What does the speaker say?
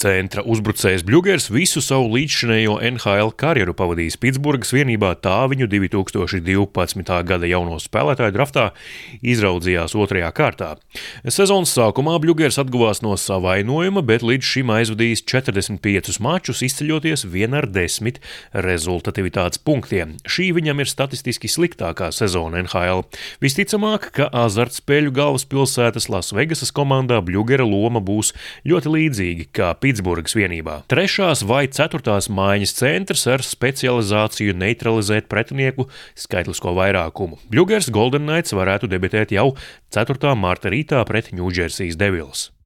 centra uzbrucējs Bļugers visu savu līdzšinējo NHL karjeru pavadījis Pitsburgas vienībā, tā viņu 2012. gada jauno spēlētāju draftā izraudzījās 2. kārtā. Sezonas sākumā Bļugers atguvās no savainojuma, bet līdz šim aizvadījis 45 mačus, izceļoties 1/10 rezultatīvitātes punktiem. Šī viņam ir statistiski sliktākā sezona NHL. Visticamāk, ka azartspēļu galvaspilsētas Lasvegasas komandā Bļugera loma būs ļoti līdzīgi kā Pitsburgas vienībā. 3. vai 4. maiņas centrs ar specializāciju neutralizēt pretinieku skaitlisko vairākumu. Bļugers Golden Knights varētu debitēt jau 4. marta rītā pret Ņūdžersijas Devils.